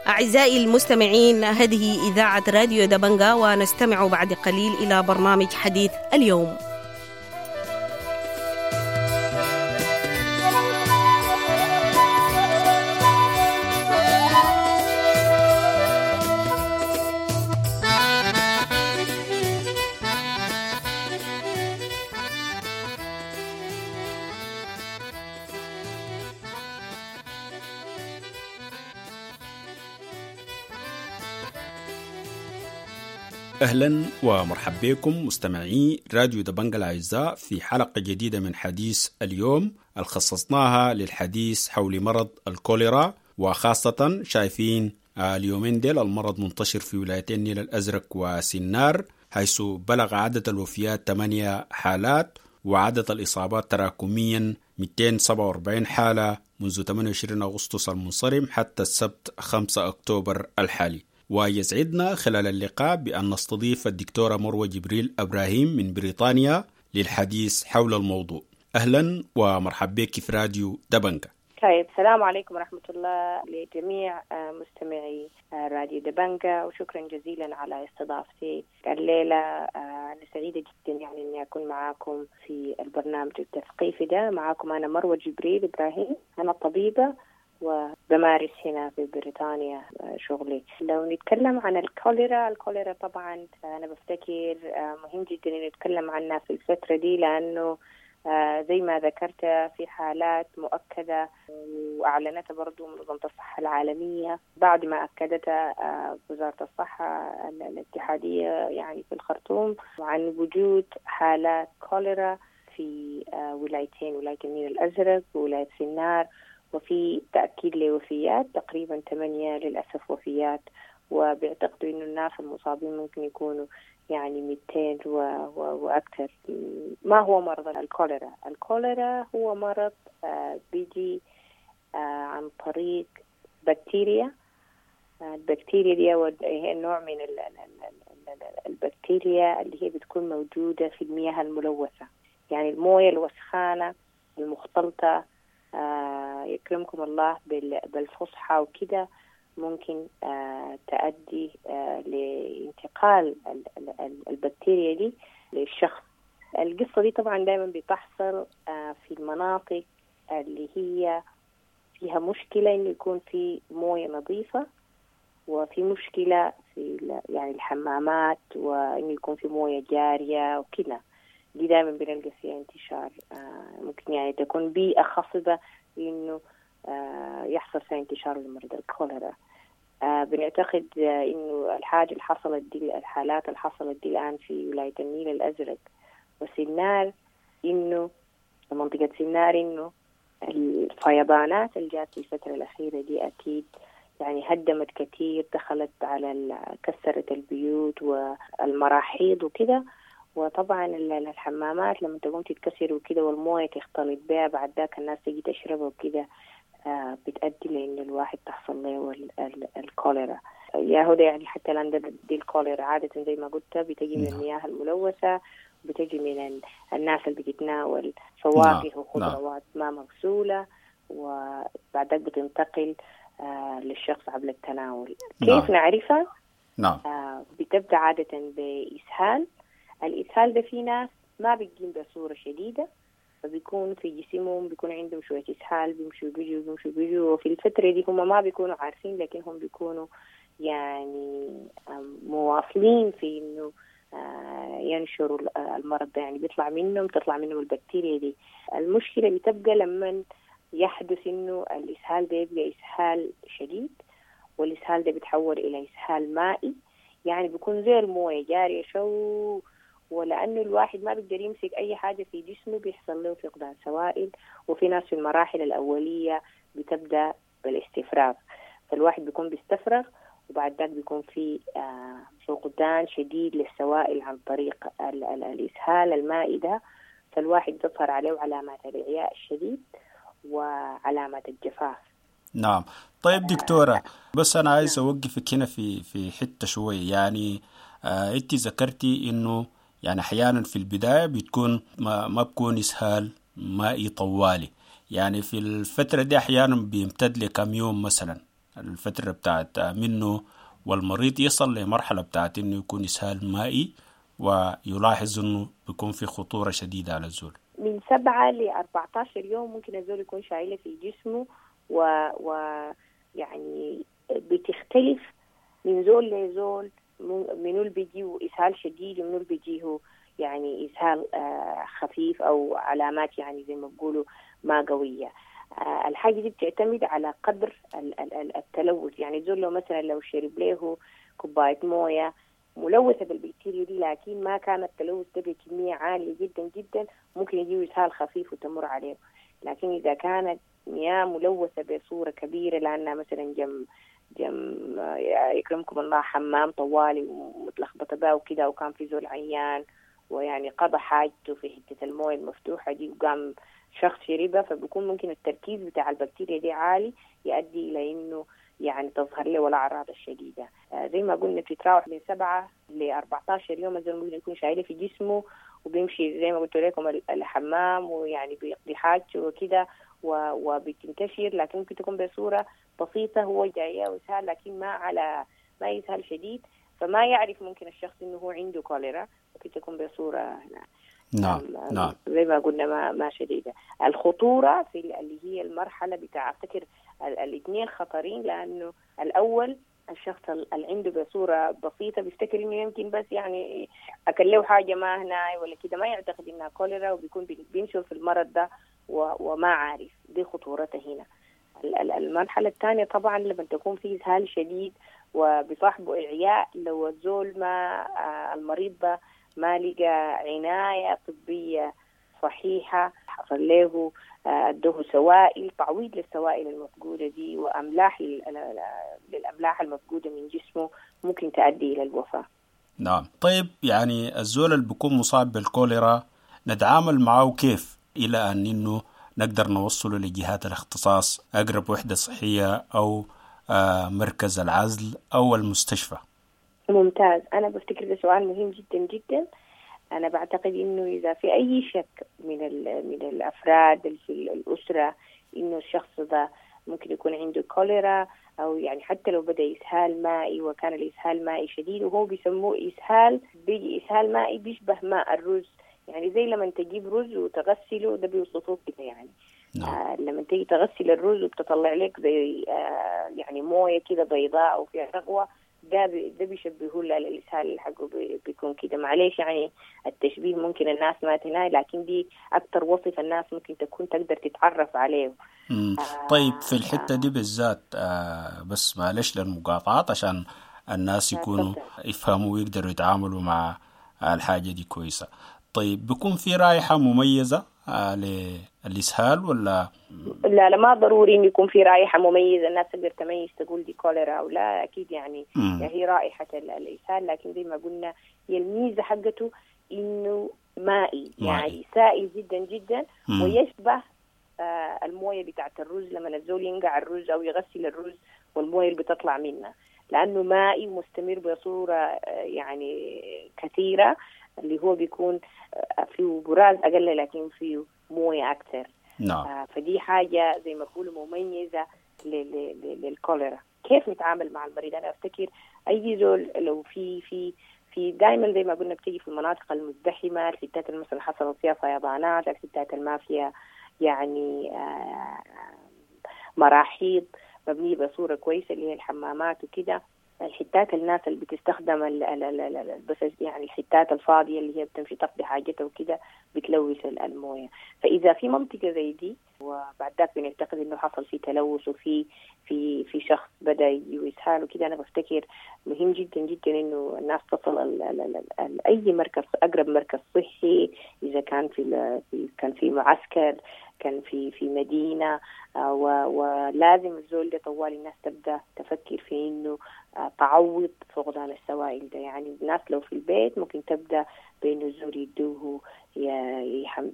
أعزائي المستمعين، هذه إذاعة راديو دبنجا، ونستمع بعد قليل إلى برنامج حديث اليوم. أهلا ومرحبا بكم مستمعي راديو دبنجا الأعزاء في حلقة جديدة من حديث اليوم الخصصناها للحديث حول مرض الكوليرا، وخاصة شايفين اليومين ديل المرض منتشر في ولايتين النيل الأزرق وسنار، حيث بلغ عدد الوفيات 8 حالات وعدد الإصابات تراكميا 247 حالة منذ 28 أغسطس المنصرم حتى السبت 5 أكتوبر الحالي. ويسعدنا خلال اللقاء بأن نستضيف الدكتورة مروة جبريل أبراهيم من بريطانيا للحديث حول الموضوع. أهلا ومرحبا بك في راديو دبنجا. طيب، السلام عليكم ورحمة الله لجميع مستمعي راديو دبنجا، وشكرا جزيلا على استضافتي الليلة. أنا سعيدة جدا يعني أني أكون معاكم في البرنامج التثقيفي ده. معاكم أنا مروة جبريل إبراهيم، أنا طبيبة وبمارس هنا في بريطانيا شغلي. لو نتكلم عن الكوليرا، الكوليرا طبعا أنا بفتكر مهم جدا أن نتكلم عنها في الفترة دي، لأنه زي ما ذكرت في حالات مؤكدة وأعلنتها برضو منظمة الصحة العالمية بعد ما أكدتها وزارة الصحة الاتحادية يعني في الخرطوم، عن وجود حالات كوليرا في ولايتين، ولاية النيل الأزرق وولاية سنار، وفي تأكيد لوفيات تقريبا 8 للأسف وفيات، وبيعتقدوا إنه الناس المصابين ممكن يكونوا يعني 200 وأكثر. ما هو مرض الكوليرا؟ الكوليرا هو مرض بيجي عن طريق بكتيريا. البكتيريا دي هي نوع من البكتيريا اللي هي بتكون موجودة في المياه الملوثة، يعني الموية الوسخانة المختلطة، يكرمكم الله بالفصحى وكده، ممكن تؤدي لانتقال البكتيريا دي للشخص. القصة دي طبعا دايما بتحصل في المناطق اللي هي فيها مشكلة إنه يكون في موية نظيفة، وفي مشكلة في يعني الحمامات، وإنه يكون في موية جارية وكده. دي دائما بنلقى فيها انتشار، ممكن يعني تكون بيئة خصبة إنه يحصل فيها انتشار لمرض الكوليرا. بنعتقد إنه الحاجة اللي حصلت دي، الحالات اللي حصلت دي الآن في ولاية النيل الأزرق وسنار، إنه منطقة سنار، إنه الفيضانات اللي جات في الفترة الأخيرة دي أكيد يعني هدمت كثير، دخلت على كسرت البيوت والمراحيض وكده، وطبعا الحمامات لما تقوم تتكسر وكده والمويه تختلط بها، بعد ذاك الناس تجي تشربها وكده، بتؤدي لأن الواحد تحصل له الكوليرا. يا هدى يعني حتى الآن دي الكوليرا عادة زي ما قلت بتجي من المياه الملوثة، بتجي من الناس اللي بتتناول فواكه وخضروات ما مغسولة، وبعد ذاك بتنتقل للشخص عبر التناول. كيف نعرفها؟ بتبدأ عادة بإسهال. الإسهال ده في ناس ما بتجين بصورة شديدة، فبيكون في جسمهم بيكون عندهم شوية إسهال، بيمشوا بيجوا بيمشوا بيجوا، وفي الفترة دي هم ما بيكونوا عارفين، لكن هم بيكونوا يعني مواصلين في إنه ينشروا المرض ده، يعني بيطلع منهم تطلع منهم البكتيريا دي. المشكلة بتبقى لما يحدث إنه الإسهال ده يبقى إسهال شديد، والإسهال ده بيتحول إلى إسهال مائي، يعني بيكون زي الموية جارية شو، ولأنه الواحد ما بيقدر يمسك أي حاجة في جسمه بيحصل له فقدان سوائل. وفي ناس في المراحل الأولية بتبدأ بالاستفراغ، فالواحد بيكون بيستفرغ، وبعد ذلك بيكون في فقدان شديد للسوائل عن طريق الإسهال المائي ده، فالواحد تظهر عليه علامات الإعياء الشديد وعلامات الجفاف. نعم. طيب دكتورة، بس أنا عايز أوقفك هنا في حتة شوي. يعني أنت ذكرتي إنه يعني أحيانا في البداية بتكون ما بكون إسهال مائي طوالي، يعني في الفترة دي أحيانا بيمتد لكم يوم مثلا. الفترة بتاعت منه والمريض يصل لمرحلة بتاعت إنه يكون إسهال مائي ويلاحظ إنه بيكون في خطورة شديدة على الزول؟ من 7 ل 14 يوم ممكن الزول يكون شايله في جسمه، ويعني بتختلف من زول لزول، منو اللي بيجيه إسهال شديد ومنو اللي بيجيه يعني إسهال خفيف أو علامات يعني زي ما بيقولوا ما قوية. الحاجة دي بتعتمد على قدر التلوث. يعني الزول لو مثلا لو شرب له كوباية موية ملوثة بالبكتيريا دي لكن ما كان التلوث ده بكمية عالية جدا جدا، ممكن يجيه إسهال خفيف وتمر عليه. لكن إذا كانت مياه ملوثة بصورة كبيرة، لأنها مثلا جم يكرمكم الله حمام طوالي ومتلخبطة بها وكده، وكان في زول عيان ويعني قضى حاجته في حتة الموية المفتوحة دي وقام شخص شربها، فبيكون ممكن التركيز بتاع البكتيريا دي عالي يؤدي إلى إنه يعني تظهر له الأعراض الشديدة. زي ما قلنا بتتراوح من 7 ل 14 يوم الزول ممكن يكون شايله في جسمه وبيمشي زي ما قلت لكم الحمام ويعني بيقضي حاجته وكده وبتنتشر، لكن ممكن تكون بصورة بسيطة، هو جاية وإسهال لكن ما يسهل شديد، فما يعرف ممكن الشخص إنه هو عنده كوليرا، ممكن تكون بصورة نعم نعم زي ما قلنا ما شديدة. الخطورة في اللي هي المرحلة بتاع أفتكر الاثنين خطرين، لأنه الأول الشخص اللي عنده بصورة بسيطة بيفتكر إنه يمكن بس يعني أكل له حاجة ما هنا ولا كده، ما يعتقد إنها كوليرا، وبيكون بينشر في المرض ده وما عارف، دي خطورته هنا. المرحلة الثانية طبعا لما تكون في إسهال شديد وبصاحبه إعياء، لو الزول ما المريض ده ما لقى عناية طبية صحيحة، حصل له ادوه سوائل، تعويض للسوائل المفقودة دي وأملاح للأملاح المفقودة من جسمه، ممكن تؤدي إلى الوفاة. نعم. طيب يعني الزول اللي بيكون مصاب بالكوليرا نتعامل معه كيف إلى أن إنه نقدر نوصله لجهات الاختصاص، أقرب وحدة صحية أو مركز العزل أو المستشفى؟ ممتاز. أنا بفتكر ده سؤال مهم جدا جدا. أنا بعتقد إنه إذا في أي شك من الأفراد في الأسرة إنه الشخص ده ممكن يكون عنده كوليرا، أو يعني حتى لو بدأ إسهال مائي وكان الإسهال مائي شديد، وهو بيسموه إسهال، بيجي إسهال مائي بيشبه ماء الرز، يعني زي لما تجيب رز وتغسله، ده بيوصفوه كده يعني. نعم. لما تيجي تغسل الرز وبتطلع لك زي يعني مويه كده بيضاء وفيها رغوة، ده بيشبهوه للإسهال حقه بيكون كده. معليش يعني التشبيه ممكن الناس ما تناي، لكن دي أكتر وصف الناس ممكن تكون تقدر تتعرف عليه. طيب في الحتة دي بالذات بس معلش للمقاطعات عشان الناس يكونوا يفهموا ويقدروا يتعاملوا مع الحاجة دي كويسة. طيب بيكون في رائحة مميزة للإسهال ولا؟ لا لا، ما ضروري إن يكون في رائحة مميزة الناس تقدر تميز تقول دي كوليرا أو لا، أكيد يعني هي رائحة الإسهال، لكن زي ما قلنا هي الميزة حقته إنه مائي، يعني سائل جدا جدا ويشبه الموية بتاعت الرز لما الزول ينقع الرز أو يغسل الرز والموية اللي بتطلع منه، لأنه مائي ومستمر بصورة يعني كثيرة، اللي هو بيكون فيه براز أقل لكن فيه موية أكثر. نعم. فدي حاجة زي ما بقولوا مميزة للكوليرا. كيف نتعامل مع المريض؟ أنا أفتكر أي زول لو في في في دائما زي ما قلنا بتيجي في المناطق المزدحمة، الحتات اللي مثلا حصلت فيها فيضانات، الحتات اللي ما فيها يعني مراحيض مبنية بصورة كويسة اللي هي الحمامات وكده، الحتات الناس اللي بتستخدم بس يعني الحتات الفاضية اللي هي بتمشي تقضي حاجتها وكده بتلوث الموية. فإذا في منطقة زي دي وبعد ذاك بنعتقد إنه حصل في تلوث وفي في في شخص بدأ يسهال وكده، أنا بفتكر مهم جدا جدا إنه الناس تصل ال ال ال ال أي مركز، أقرب مركز صحي، إذا كان في كان في معسكر، كان في مدينة، ولازم الزول ده طوال الناس تبدأ تفكر في إنه تعوض فقدان السوائل ده. يعني الناس لو في البيت ممكن تبدأ بإنه الزول يدوه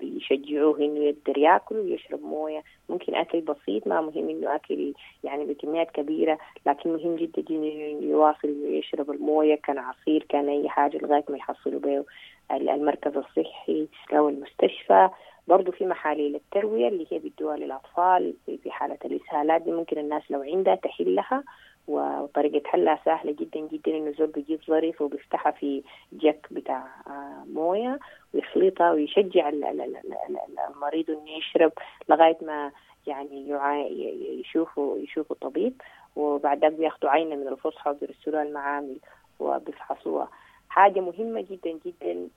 يشجعوه إنه يقدر يأكل ويشرب موية، ممكن أكل بسيط، ما مهم إنه أكل يعني بكميات كبيرة، لكن مهم جدا إنه يواصل يشرب الموية، كان عصير كان أي حاجة، لغاية ما يحصلوا به المركز الصحي أو المستشفى. برضو في محاليل التروية اللي هي بيدوها للأطفال في حالة الإسهالات دي، ممكن الناس لو عندها تحلها، وطريقة حلها سهلة جدا جدا، إنه زول بيجيب ظرف وبيفتحها في جك بتاع موية ويخلطها ويشجع المريض إنه يشرب لغاية ما يعني يشوفوا طبيب، وبعد ذاك بياخدوا عينة من الفصحى وبيرسلوها المعامل وبيفحصوها. حاجة مهمة جدا جدا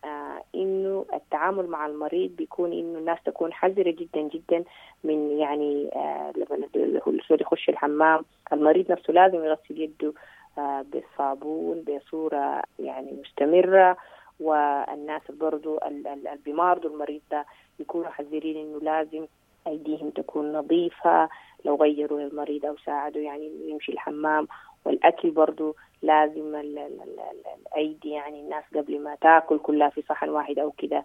إنه التعامل مع المريض بيكون إنه الناس تكون حذرة جدا جدا من يعني لما الزول يخش الحمام المريض نفسه لازم يغسل يده بالصابون بصورة يعني مستمرة، والناس برضو اللي بيمارضوا المريض ده يكونوا حذرين إنه لازم أيديهم تكون نظيفة لو غيروا المريض أو ساعدوا يعني يمشي الحمام. والأكل برضو لازم الأيدي يعني الناس قبل ما تاكل كلها في صحن واحد أو كده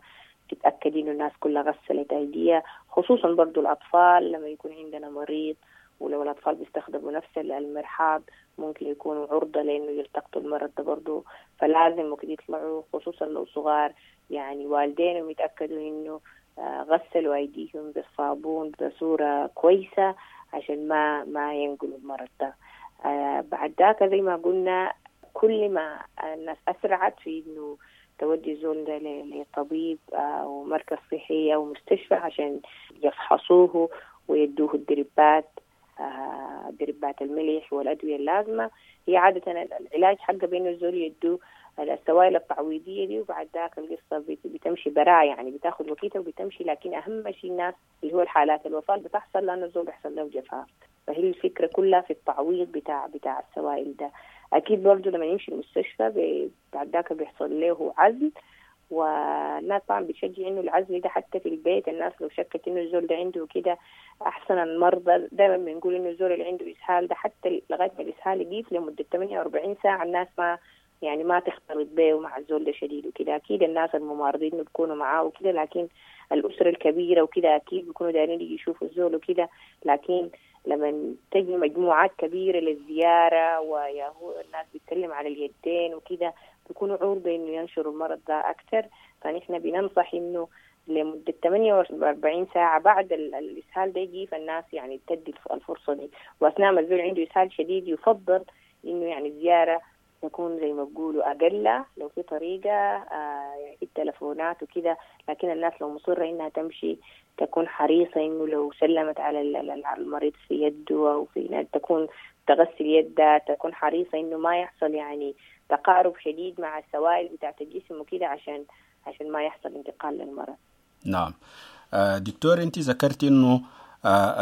تتأكد إنه الناس كلها غسلت أيديها، خصوصا برضو الأطفال لما يكون عندنا مريض، ولو الأطفال بيستخدموا نفس المرحاض ممكن يكونوا عرضة لأنه يلتقطوا المرض ده برضو، فلازم وقت يطلعوا خصوصا لو صغار يعني والدينهم يتأكدوا إنه غسلوا أيديهم بالصابون بصورة كويسة عشان ما ينقلوا المرض ده. بعد ذاك زي ما قلنا كل ما الناس أسرعت في إنه تودي زول ده لطبيب أو مركز صحي أو مستشفى عشان يفحصوه ويدوه الدربات، دربات الملح والأدوية اللازمة. هي عادة العلاج حقه بإنه الزول يدوه السوائل التعويضية دي، وبعد ذاك القصة بتمشي براء يعني بتاخد وقتها وبتمشي. لكن أهم شيء الناس اللي هو الحالات الوفاة بتحصل لأنه الزول بيحصل له جفاف، فهي الفكرة كلها في التعويض بتاع السوائل ده. أكيد برضو لما يمشي المستشفى بعد ذاك بيحصل له عزل، والناس طبعا بتشجع إنه العزل ده حتى في البيت. الناس لو شكت إنه الزول ده عنده كده، أحسن المرضى دائما بنقول إنه الزول اللي عنده إسهال ده حتى لغاية ما الإسهال يقيف لمدة 48 ساعة الناس ما تختلط به ومع الزول ده شديد وكده. أكيد الناس الممارضين بيكونوا معاه وكده، لكن الأسرة الكبيرة وكده أكيد بيكونوا دايرين يشوفوا الزول وكده. لكن لما تجي مجموعات كبيرة للزيارة وياهو الناس بتسلم على اليدين وكده، بيكونوا عرضة إنه ينشروا المرض ده أكثر. فنحن بننصح إنه لمدة 48 ساعة بعد الإسهال ده يجي، فالناس يعني تدي الفرصة دي. وأثناء ما الزول عنده إسهال شديد يفضل إنه يعني الزيارة تكون زي ما بقولوا أقل، لو في طريقة يعني في التلفونات وكده. لكن الناس لو مصرة إنها تمشي تكون حريصة إنه لو سلمت على المريض في يده أو في تكون تغسل يدها، تكون حريصة إنه ما يحصل يعني تقارب شديد مع السوائل بتاعة الجسم وكده عشان ما يحصل انتقال للمرض. نعم دكتور، أنت ذكرت إنه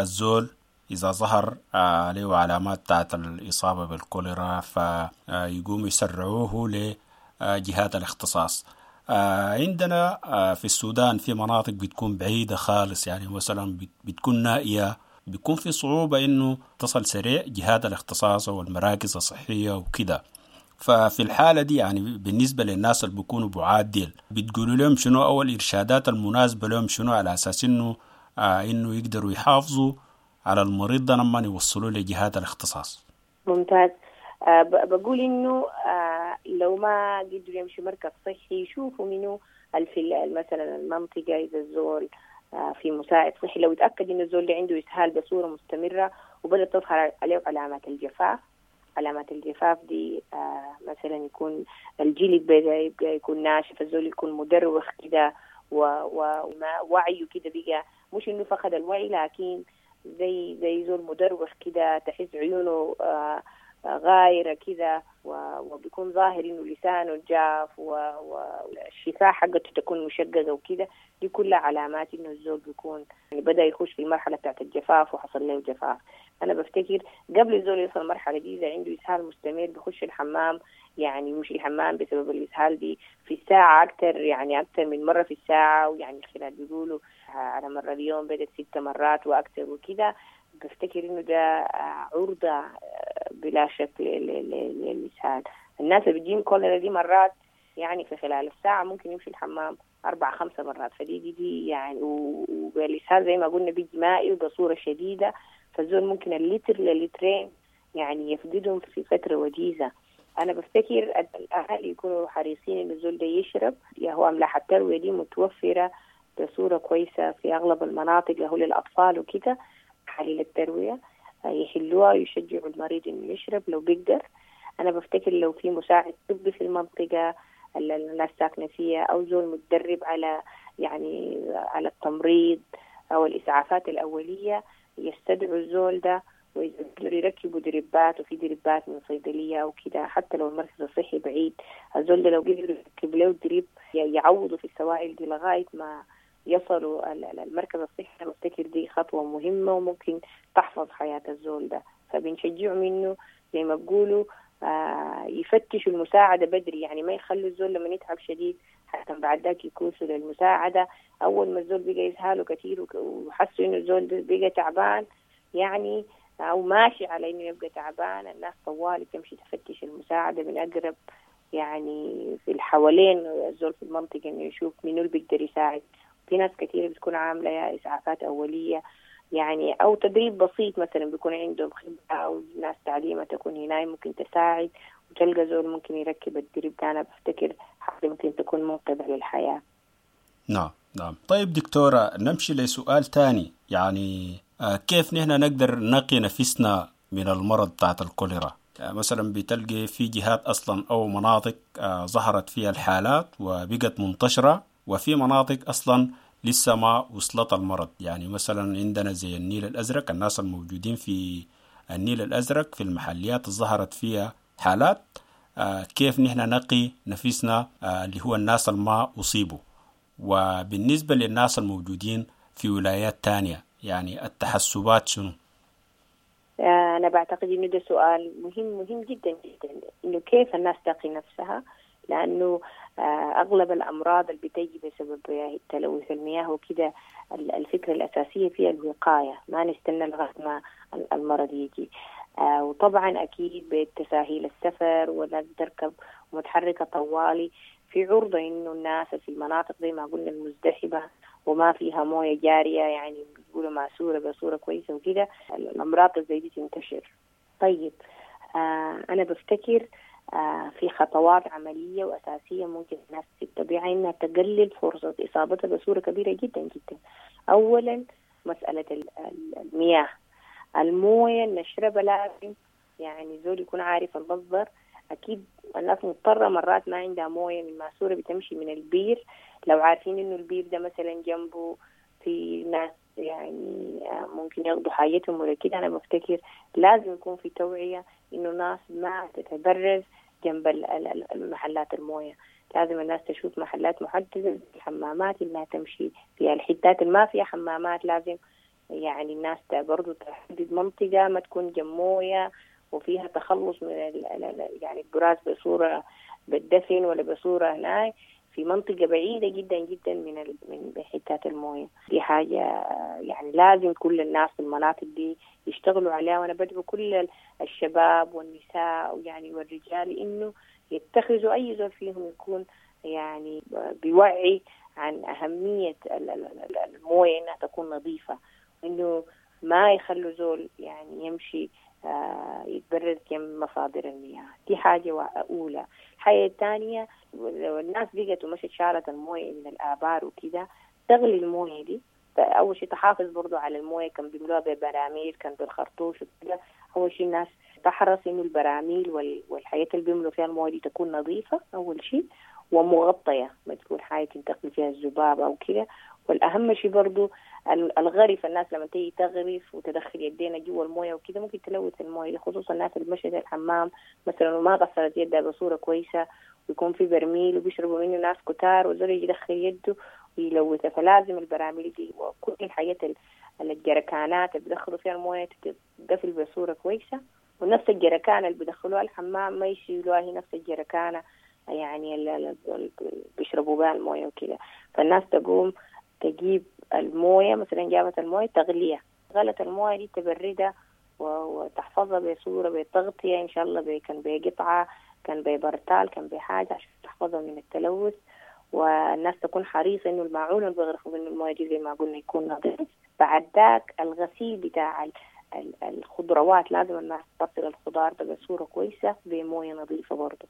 الزول إذا ظهر عليه علامات بتاعت الإصابة بالكوليرا فيقوم يسرعوه لجهات الاختصاص. عندنا في السودان في مناطق بتكون بعيدة خالص، يعني مثلا بتكون نائية، بيكون في صعوبة إنه تصل سريع جهات الاختصاص والمراكز الصحية وكده. ففي الحالة دي يعني بالنسبة للناس اللي بيكونوا بعاد ديل، بتقولوا لهم شنو أول إرشادات المناسبة لهم شنو على أساس إنه إنه يقدروا يحافظوا على المريض ده لما يوصلوا لجهات الاختصاص؟ ممتاز. بقول إنه لو ما قدروا يمشوا مركز صحي يشوفوا منه في مثلا المنطقة، إذا الزول في مساعد صحي لو يتأكد إنه الزول اللي عنده إسهال بصورة مستمرة وبدأت تظهر عليه علامات الجفاف، علامات الجفاف دي مثلا يكون الجلد بدأ يبقى يكون ناشف، الزول يكون مدروخ كده وما وعيه كده بقى، مش إنه فقد الوعي لكن زي زول مدروخ كده، تحس عيونه غايرة كده، وبيكون ظاهر إنه لسانه جاف والشفاه حقته تكون مشققة وكده. دي كلها علامات إنه الزول بيكون يعني بدأ يخش في المرحلة بتاعت الجفاف وحصل له جفاف. أنا بفتكر قبل الزول يوصل المرحلة دي إذا عنده إسهال مستمر بيخش الحمام، يعني يمشي الحمام بسبب الإسهال دي في الساعة أكثر، يعني أكثر من مرة في الساعة، ويعني خلال بيقولوا على مرة اليوم بدأت 6 مرات وأكثر وكده. بفتكر إنه ده عرضة بلا شك للإسهال. الناس اللي بتجيهم كوليرا دي مرات يعني في خلال الساعة ممكن يمشي الحمام 4-5 مرات، فدي دي, دي يعني والإسهال زي ما قلنا بيجي مائي وبصورة شديدة، فالزول ممكن اللتر للترين يعني يفقدهم في فترة وجيزة. أنا بفتكر الأهل يكونوا حريصين إنه الزول ده يشرب، يا هو أملاح التروية دي متوفرة بصورة كويسة في أغلب المناطق هو للأطفال وكده، محاليل التروية يحلوها ويشجعوا المريض إنه يشرب لو بيقدر. أنا بفتكر لو في مساعد طبي في المنطقة اللي الناس ساكنة فيها، أو زول متدرب على يعني على التمريض أو الإسعافات الأولية، يستدعوا الزول ده ويقدروا يركبوا دربات، وفي دربات من صيدلية أو كده، حتى لو المركز الصحي بعيد الزول ده لو قدروا يركب له درب يعوضوا في السوائل دي لغاية ما يصلوا المركز الصحي. بفتكر دي خطوة مهمة وممكن تحفظ حياة الزول ده. فبنشجعهم إنه زي ما بقولوا يفتشوا المساعدة بدري، يعني ما يخلوا الزول لما يتعب شديد حتى بعد ذاك يكوسوا للمساعدة. أول ما الزول بقى يسهاله كثير وحسوا إنه الزول بقى تعبان يعني أو ماشي على إنه يبقى تعبان، الناس طوالي تمشي تفتش المساعدة من أقرب يعني في الحوالين الزول في المنطقة، إنه يشوف منو اللي بيقدر يساعد. في ناس كثيرة بتكون عاملة يا إسعافات أولية يعني أو تدريب بسيط مثلا، بيكون عندهم خبرة أو ناس تعليمة تكون هنا ممكن تساعد، وتلقى زول ممكن يركب الدرب ده. أنا بفتكر حاجة ممكن تكون منقذة للحياة. نعم نعم. طيب دكتورة، نمشي لسؤال تاني، يعني كيف نحن نقدر نقي نفسنا من المرض بتاعت الكوليرا؟ مثلا بتلقي في جهات أصلا أو مناطق ظهرت فيها الحالات وبقت منتشرة، وفي مناطق أصلا لسه ما وصلت المرض. يعني مثلا عندنا زي النيل الأزرق، الناس الموجودين في النيل الأزرق في المحليات ظهرت فيها حالات، كيف نحن نقي نفسنا اللي هو الناس اللي ما أصيبوا؟ وبالنسبة للناس الموجودين في ولايات تانية، يعني التحسبات شنو؟ أنا بعتقد إنه ده سؤال مهم مهم جدا جدا، إنه كيف الناس تقي نفسها، لأنه أغلب الأمراض اللي بتجي بسبب تلوث المياه وكده، الفكرة الأساسية فيها الوقاية، ما نستنى لغاية ما المرض يجي. وطبعا أكيد بتساهيل السفر والناس بتركب ومتحركة طوالي، في عرضة إنه الناس في المناطق زي ما قلنا المزدحمة وما فيها موية جارية، يعني بيقولوا ماسورة بصورة كويسة وكده، الأمراض زي دي تنتشر. طيب أنا بفتكر في خطوات عملية وأساسية ممكن الناس تتبعها إنها تقلل فرصة إصابتها بصورة كبيرة جدا جدا. أولا مسألة المياه، الموية اللي نشربها لازم يعني زول يكون عارف المصدر. أكيد الناس مضطرة مرات ما عندها موية من ماسورة بتمشي من البير، لو عارفين إنه البير ده مثلا جنبه في ناس يعني ممكن ياخدوا حاجتهم ولا كده، أنا بفتكر لازم يكون في توعية إنه الناس ما تتبرز جنب المحلات الموية. لازم الناس تشوف محلات محددة، الحمامات إنها تمشي فيها، الحتات اللي ما فيها حمامات لازم يعني الناس برضو تحدد منطقة ما تكون جنب موية وفيها تخلص من يعني البراز بصورة بالدفن ولا بصورة هناك في منطقة بعيدة جدا جدا من حتات الموية. دي حاجة يعني لازم كل الناس في المناطق دي يشتغلوا عليها، وأنا بدعو كل الشباب والنساء ويعني والرجال إنه يتخذوا أي زول فيهم يكون يعني بيوعي عن أهمية الموية إنها تكون نظيفة، إنه ما يخلوا زول يعني يمشي يتبرز جنب مصادر المياه. دي حاجة أولى. الحاجة الثانية، لو الناس بقت ومشت شالت الموية من الآبار وكده، تغلي الموية دي. أول شيء تحافظ برضو على الموية، كان بيملوها ببراميل، كان بالخرطوش وكده. أول شيء الناس تحرص إنه البراميل والحاجات اللي بيملوا فيها الموية دي تكون نظيفة أول شيء، ومغطية، ما تكون حاجة تنتقل فيها الذباب أو كده. والأهم شيء برضو الغرف، الناس لما تيجي تغرف وتدخل يدينا جوا الموية وكده ممكن تلوث الموية، خصوصا الناس اللي مشت الحمام مثلا وما غسلت يدها بصورة كويسة، ويكون في برميل وبيشربوا منه ناس كتار، وزول يجي يدخل يده ويلوثها. فلازم البراميل دي وكل الحاجات الجركانات اللي بيدخلوا فيها الموية تتقفل بصورة كويسة، ونفس الجركانة اللي بيدخلوها الحمام ما يشيلوها، هي نفس الجركانة يعني اللي بيشربوا بها الموية وكده. فالناس تقوم تجيب الموية، مثلا جابت الموية تغليها، غلت الموية دي تبردها وتحفظها بصورة بتغطية إن شاء الله، كان بقطعة، كان ببرتال، كان بحاجة، عشان تحفظها من التلوث. والناس تكون حريصة إنه الماعون اللي بيغرفوا منه الموية دي زي ما قلنا يكون نظيف. بعد ذاك الغسيل بتاع الخضروات، لازم الناس تغسل الخضار ده بصورة كويسة بموية نظيفة برضه.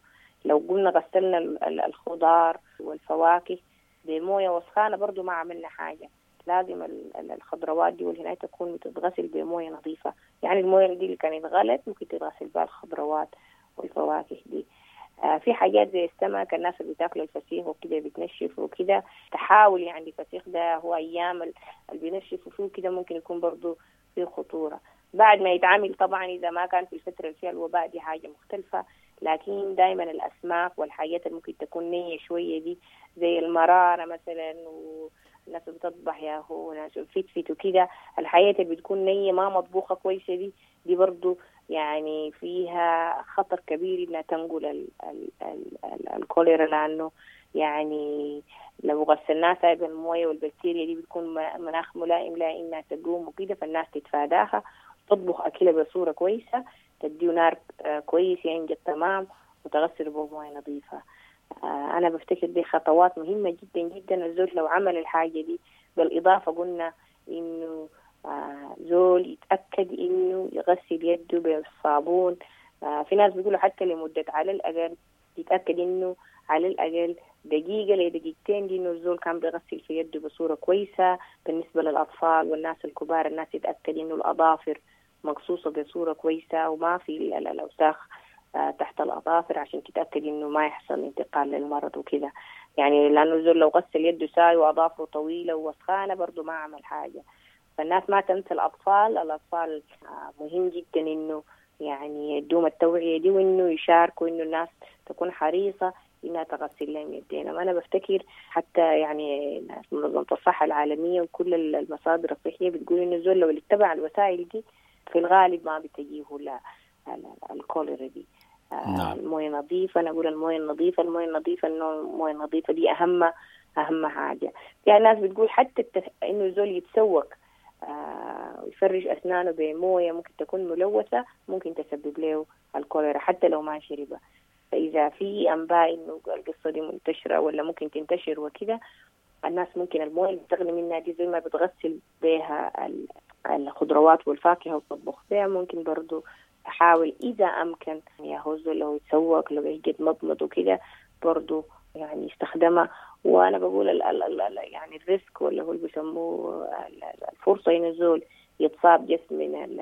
لو قلنا غسلنا الخضار والفواكه بموية وسخانة برضو ما عملنا حاجة. لازم الخضروات دي والهناية تكون بتتغسل بموية نظيفة، يعني الموية دي اللي كانت غلت ممكن تتغسل بها الخضروات والفواكه دي. في حاجات زي السمك، الناس اللي بتاكل الفسيخ وكده بتنشف وكده، تحاول يعني الفسيخ ده هو أيام اللي بينشفوا فيه كده ممكن يكون برضو فيه خطورة بعد ما يتعامل. طبعا إذا ما كان في الفترة اللي فيها الوباء دي حاجة مختلفة، لكن دايما الأسماك والحاجات اللي ممكن تكون نية شوية دي زي المرارة مثلا، والناس بتطبح يا هو ناس فتفت وكده، الحاجات اللي بتكون نية ما مطبوخة كويسة دي برضو يعني فيها خطر كبير إنها تنقل الكوليرا، لأنه يعني لو غسلناها سايب الموية والبكتيريا دي بتكون مناخ ملائم لا إنها تقوم وكده، فالناس تتفاداها، تطبخ أكلها بصورة كويسة، تديه نار كويس ينجد تمام، وتغسل بموية نظيفة. أنا بفتكر دي خطوات مهمة جدا جدا الزول لو عمل الحاجة دي. بالإضافة قلنا إنه زول يتأكد إنه يغسل يده بالصابون. في ناس بيقولوا حتى لمدة على الأقل يتأكد إنه على الأقل دقيقة لدقيقتين دي إنه الزول كان بيغسل في يده بصورة كويسة. بالنسبة للأطفال والناس الكبار، الناس يتأكد إنه الأظافر مقصوصة بصورة كويسة وما في الأوساخ تحت الأظافر، عشان تتأكد إنه ما يحصل انتقال للمرض وكده. يعني لأنه الزول لو غسل يده ساي وأظافره طويلة ووسخانة برضو ما عمل حاجة. فالناس ما تنسى الأطفال، الأطفال مهم جدا إنه يعني يدوم التوعية دي، وإنه يشاركوا، إنه الناس تكون حريصة إنها تغسل لهم يدينا. وأنا بفتكر حتى يعني منظمة الصحة العالمية وكل المصادر الصحية بتقول إنه الزول لو اتبع الوسائل دي في الغالب ما بتجيه لا الكوليرا دي. نعم. الموية نظيفة، أنا أقول الموية النظيفة، الموية النظيفة، إنه الموية النظيفة دي أهم حاجة. يعني الناس بتقول حتى إنه الزول يتسوق ويفرش أسنانه بموية ممكن تكون ملوثة ممكن تسبب له الكوليرا حتى لو ما شربها. فإذا في أنباء إنه القصة دي منتشرة ولا ممكن تنتشر وكده، الناس ممكن الموية اللي بتغلي منها دي زي ما بتغسل بها الخضروات والفاكهة وتطبخ بها، ممكن برضو تحاول إذا أمكن يا هو لو يتسوق لو يجد مضمض وكده برضو يعني يستخدمها. وأنا بقول ال ال ال يعني ال risk ولا هو اللي بيسموه الفرصة إن الزول يتصاب جسم من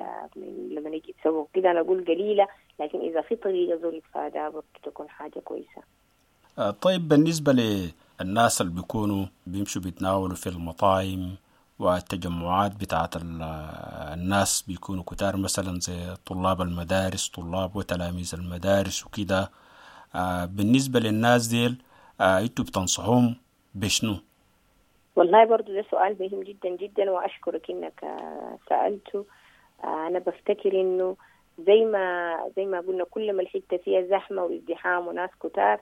لما يجي يتسوق كده، أنا أقول قليلة، لكن إذا في طريقة زول يتفاداها برضو تكون حاجة كويسة. طيب بالنسبة للناس اللي بيكونوا بيمشوا بيتناولوا في المطاعم والتجمعات بتاعت الناس بيكونوا كتار، مثلا زي طلاب المدارس، طلاب وتلاميذ المدارس وكده، بالنسبة للناس ديل انتوا بتنصحهم بشنو؟ والله برضو ده سؤال مهم جدا جدا، وأشكرك إنك سألته. أنا بفتكر إنه زي ما قلنا كل ما الحتة فيها زحمة وازدحام وناس كتار،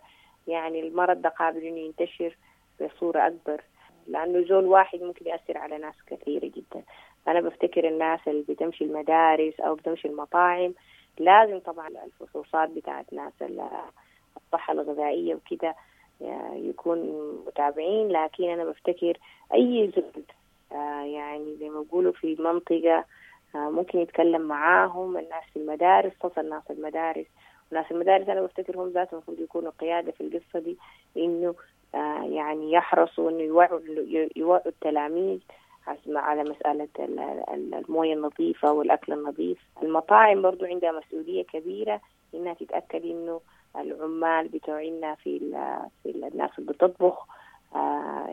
يعني المرض ده قابل إنه ينتشر بصورة أكبر، لأنه زول واحد ممكن يأثر على ناس كثيرة جدا. أنا بفتكر الناس اللي بتمشي المدارس أو بتمشي المطاعم لازم طبعا الفحوصات بتاعت ناس الصحة الغذائية وكده يكون متابعين. لكن أنا بفتكر أي زول يعني زي ما بيقولوا في منطقة ممكن يتكلم معاهم الناس في المدارس، خصوصا الناس المدارس. وناس المدارس أنا بفتكر هم ذاتهم المفروض يكونوا قيادة في القصة دي، إنه يعني يحرصوا إنه يوعوا التلاميذ على مسألة الموية النظيفة والأكل النظيف. المطاعم برضو عندها مسؤولية كبيرة إنها تتأكد إنه العمال بتوعنا في الناس اللي بتطبخ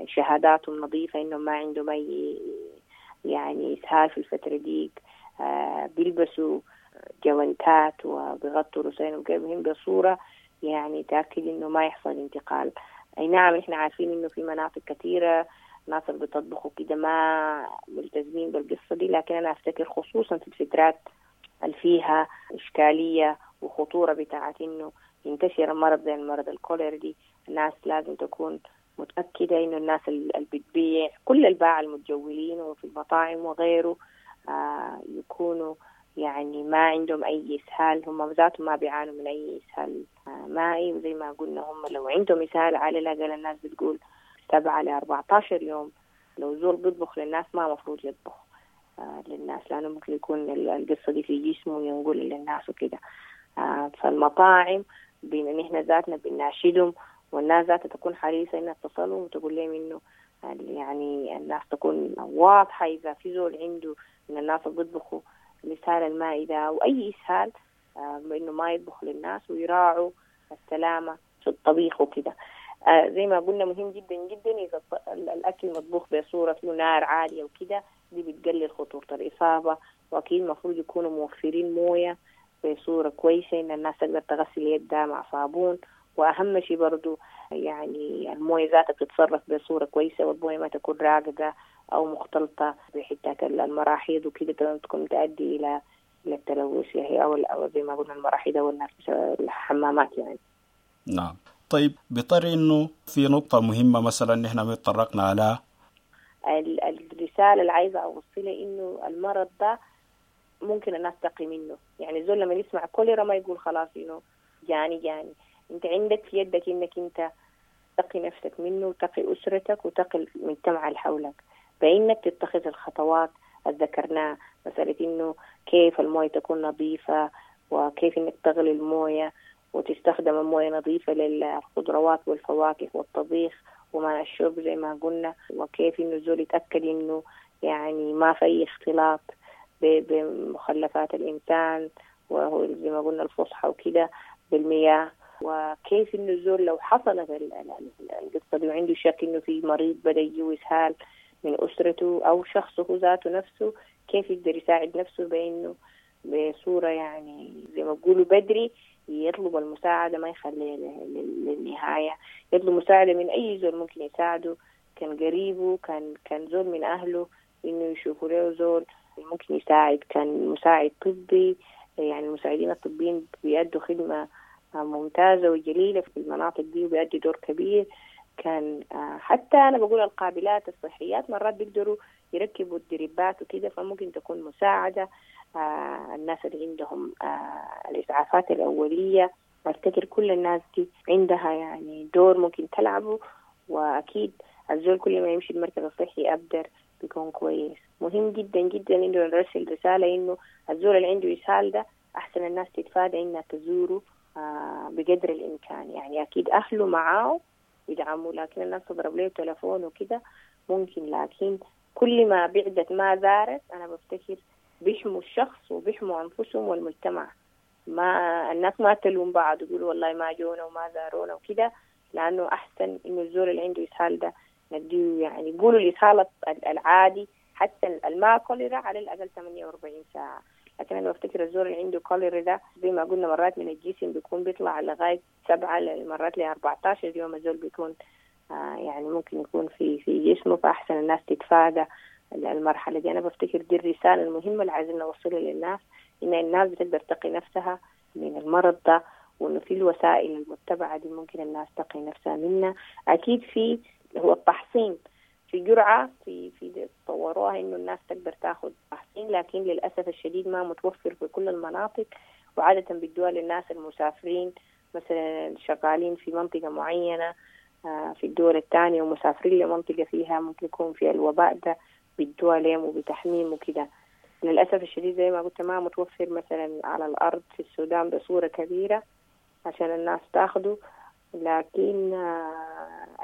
شهاداتهم نظيفة، إنه ما عندهم أي يعني إسهال في الفترة ديك، بيلبسوا جوانتات وبيغطوا رؤوسهم وجبههم بصورة يعني تأكد إنه ما يحصل انتقال. أي نعم إحنا عارفين إنه في مناطق كثيرة ناس اللي بتطبخوا كده ما ملتزمين بالقصة دي، لكن أنا أفتكر خصوصا في الفترات اللي فيها إشكالية وخطورة بتاعت إنه ينتشر المرض زي المرض الكوليرا دي، الناس لازم تكون متأكدة إنه الناس اللي بتبيع كل الباعة المتجولين وفي المطاعم وغيره يكونوا يعني ما عندهم أي إسهال، هم ذاتهم ما بيعانوا من أي إسهال مائي. وزي ما قلنا هم لو عندهم إسهال على الأقل الناس بتقول 7 ل 14 يوم. لو زول بيطبخ للناس ما مفروض يطبخ للناس، لأنه ممكن يكون القصة دي في جسمه وينقل للناس وكده. فالمطاعم بما إن إحنا ذاتنا بنناشدهم والناس ذاتها تكون حريصة إنها تصلهم وتقول لهم إنه يعني الناس تكون واضحة إذا في زول عنده من الناس اللي بيطبخوا الإسهال المائي ده أو أي إسهال، إنه ما يطبخوا للناس ويراعوا السلامة في الطبيخ وكده. زي ما قلنا مهم جدا جدا إذا الأكل مطبوخ بصورة فيه نار عالية وكده، دي بتقلل خطورة الإصابة. وأكيد المفروض يكونوا موفرين موية بصورة كويسة إن الناس تقدر تغسل يدها مع صابون. وأهم شيء برضو يعني الموية ذاتها بتتصرف بصورة كويسة، والموية ما تكون راكدة أو مختلطة بحتات المراحيض وكده، تكون تؤدي إلى التلوث يعني، أو زي ما قلنا المراحيض أو الحمامات يعني. نعم. طيب بطري إنه في نقطة مهمة مثلا نحن ما تطرقنا على الرسالة اللي عايزة أوصلها، إنه المرض ده ممكن الناس تقي منه. يعني زول لما يسمع كوليرا ما يقول خلاص إنه جاني، أنت عندك في يدك إنك أنت تقي نفسك منه وتقي أسرتك وتقي المجتمع اللي حولك، بإنك تتخذ الخطوات اللي ذكرناها، مسألة إنه كيف الموية تكون نظيفة، وكيف إنك تغلي الموية وتستخدم الموية نظيفة للخضروات والفواكه والطبيخ وماء الشرب زي ما قلنا، وكيف إنه الزول يتأكد إنه يعني ما في أي اختلاط بمخلفات الإنسان وهو زي ما قلنا الفصحى وكده بالمياه، وكيف إنه الزول لو حصلت القصة دي وعنده شك إنه في مريض بدأ يجيه إسهال من أسرته أو شخصه ذاته نفسه، كيف يقدر يساعد نفسه بإنه بصورة يعني زي ما بيقولوا بدري يطلب المساعدة، ما يخليها للنهاية، يطلب مساعدة من أي زول ممكن يساعده، كان قريبه، كان زول من أهله، إنه يشوفوا له زول ممكن يساعد، كان مساعد طبي. يعني المساعدين الطبيين بيأدوا خدمة ممتازة وجليلة في المناطق دي وبيأدوا دور كبير. كان حتى أنا بقول القابلات الصحيات مرات بيقدروا يركبوا الدريبات وكده، فممكن تكون مساعدة. الناس اللي عندهم الإسعافات الأولية، أفتكر كل الناس دي عندها يعني دور ممكن تلعبه. وأكيد الزول كل ما يمشي المركز الصحي أبدر بيكون كويس. مهم جدا جدا إنه نرسل رسالة إنه الزول اللي عنده إسهال ده أحسن الناس تتفادى إنها تزوره بقدر الإمكان. يعني أكيد أهله معاه يدعموا، لكن الناس تضرب له تلفون وكده ممكن، لكن كل ما بعدت ما زارت أنا بفتكر بيحموا الشخص وبيحموا أنفسهم والمجتمع. ما الناس ما تلوم بعض يقولوا والله ما جونا وما زارونا وكده، لأنه أحسن إنه الزول اللي عنده إسهال ده نديه يعني يقولوا الإسهال العادي حتى الما كوليرا على الأقل 48 ساعة، لكن أنا بفتكر الزول اللي عنده كوليرا ده زي ما قلنا مرات من الجسم بيكون بيطلع لغاية 7 مرات ل 14 يوم الزول بيكون يعني ممكن يكون في جسمه، فأحسن الناس تتفادى المرحلة دي. أنا بفتكر دي الرسالة المهمة اللي عايزين نوصلها للناس، إن الناس بتقدر تقي نفسها من المرض ده، وإنه في الوسائل المتبعة دي ممكن الناس تقي نفسها منها. أكيد في هو التحصين، في جرعة في طوروها إنه الناس تقدر تاخد تحصين، لكن للأسف الشديد ما متوفر في كل المناطق، وعادة بيدوها للناس المسافرين مثلا شغالين في منطقة معينة في الدول الثانية ومسافرين لمنطقة فيها ممكن يكون فيها الوباء ده، بيدوها لهم وبتحميم وكده. للأسف الشديد زي ما قلت ما متوفر مثلا على الأرض في السودان بصورة كبيرة عشان الناس تاخده، لكن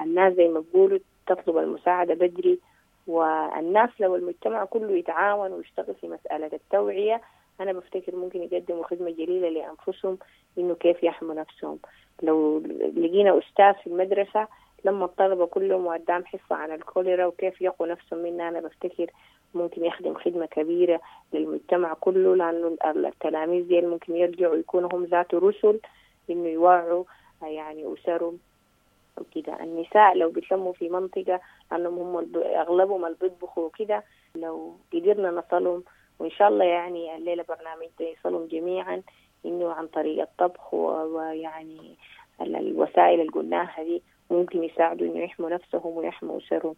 الناس زي ما بيقولوا تطلب المساعدة بدري، والناس لو المجتمع كله يتعاون ويشتغل في مسألة التوعية أنا بفتكر ممكن يقدموا خدمة جليلة لأنفسهم إنه كيف يحموا نفسهم. لو لقينا أستاذ في المدرسة لما الطلبة كلهم وقدام حصة عن الكوليرا وكيف يقوا نفسهم منها، أنا بفتكر ممكن يخدم خدمة كبيرة للمجتمع كله، لأنه التلاميذ دي ممكن يرجعوا يكونوا هم ذات رسل إنه يوعوا يعني أسرهم وكده. النساء لو بيتلموا في منطقة لأنهم هم أغلبهم اللي بيطبخوا وكده، لو قدرنا نصلهم وإن شاء الله يعني الليلة برنامج ده يصلهم جميعا إنه عن طريق الطبخ ويعني الوسائل اللي قلناها دي ممكن يساعدوا إنه يحموا نفسهم ويحموا أسرهم.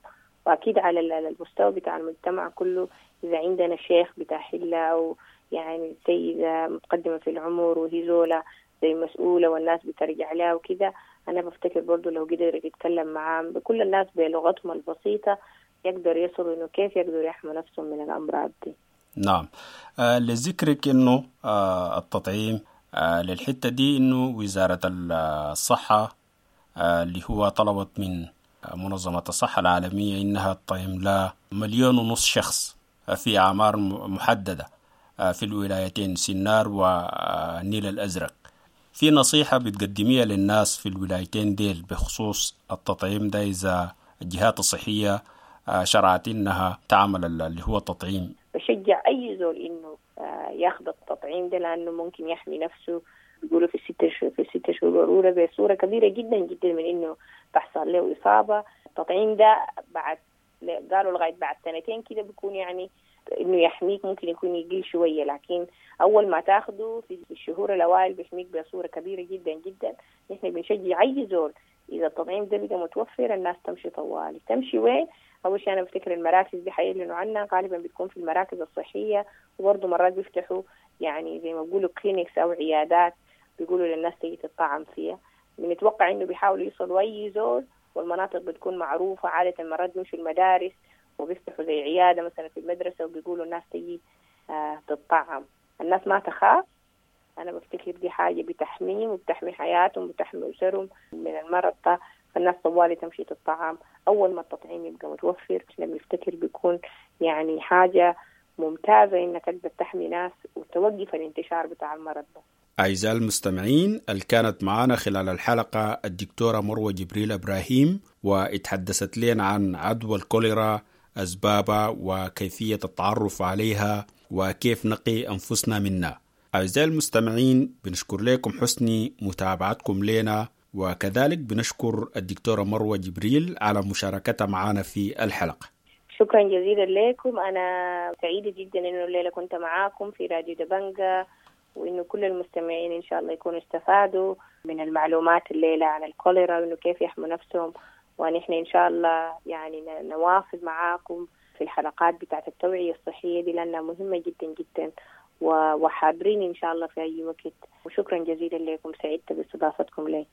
وأكيد على المستوى بتاع المجتمع كله، إذا عندنا شيخ بتاع حلة أو يعني سيدة متقدمة في العمر وهي زولة زي مسؤولة والناس بترجع لها وكده، أنا بفتكر برضو لو قدر يتكلم معاهم بكل الناس بلغتهم البسيطة يقدر يصلوا إنه كيف يقدروا يحموا نفسهم من الأمراض دي. نعم. لذكرك إنه التطعيم للحتة دي إنه وزارة الصحة اللي هو طلبت من منظمة الصحة العالمية إنها تطعم لها 1.5 مليون شخص في أعمار محددة في الولايتين سنار والنيل الأزرق. في نصيحة بتقدميها للناس في الولايتين ديل بخصوص التطعيم ده إذا الجهات الصحية شرعت إنها تعمل اللي هو التطعيم؟ بشجع أي زول إنه ياخذ التطعيم ده، لأنه ممكن يحمي نفسه، بيقولوا في الست شهور الأولى بصورة كبيرة جدا جدا من إنه تحصل له إصابة. التطعيم ده بعد قالوا لغاية بعد سنتين كده بيكون يعني إنه يحميك، ممكن يكون يقل شوية، لكن أول ما تاخده في الشهور الأوائل بيحميك بصورة كبيرة جدا جدا. نحن بنشجع أي زول إذا التطعيم ده بقى متوفر الناس تمشي طوالي. تمشي وين؟ أول شيء أنا بفتكر المراكز دي حيعلنوا عنها، غالبا بتكون في المراكز الصحية، وبرضه مرات بيفتحوا يعني زي ما بيقولوا clinics أو عيادات بيقولوا للناس تيجي تطعم فيها. بنتوقع إنه بيحاولوا يوصلوا أي زول، والمناطق بتكون معروفة عادة. مرات بيمشوا المدارس وبيفتحوا زي عيادة مثلا في المدرسة وبيقولوا الناس تيجي تطعم. الناس ما تخاف، أنا بفتكر دي حاجة بتحميهم وبتحمي حياتهم وبتحمي أسرهم من المرض ده، فالناس طوالي تمشي تطعم أول ما التطعيم يبقى متوفر. إحنا بنفتكر بيكون يعني حاجة ممتازة إنك تقدر تحمي ناس وتوقف الانتشار بتاع المرض ده. أعزائي المستمعين، اللي كانت معنا خلال الحلقة الدكتورة مروة جبريل إبراهيم، واتحدثت لنا عن عدوى الكوليرا، أسبابها وكيفية التعرف عليها وكيف نقي أنفسنا منها. أعزائي المستمعين، بنشكر لكم حسن متابعتكم لنا، وكذلك بنشكر الدكتورة مروة جبريل على مشاركتها معنا في الحلقة. شكرا جزيلا لكم، أنا سعيدة جدا إنه الليلة كنت معاكم في راديو دبنجة، وإنه كل المستمعين إن شاء الله يكونوا استفادوا من المعلومات الليلة عن الكوليرا وإنه كيف يحموا نفسهم. ونحن إن شاء الله يعني نواصل معاكم في الحلقات بتاعت التوعية الصحية دي لأنها مهمة جدا جدا، وحاضرين إن شاء الله في أي وقت. وشكرا جزيلا لكم، سعدت باستضافتكم لي.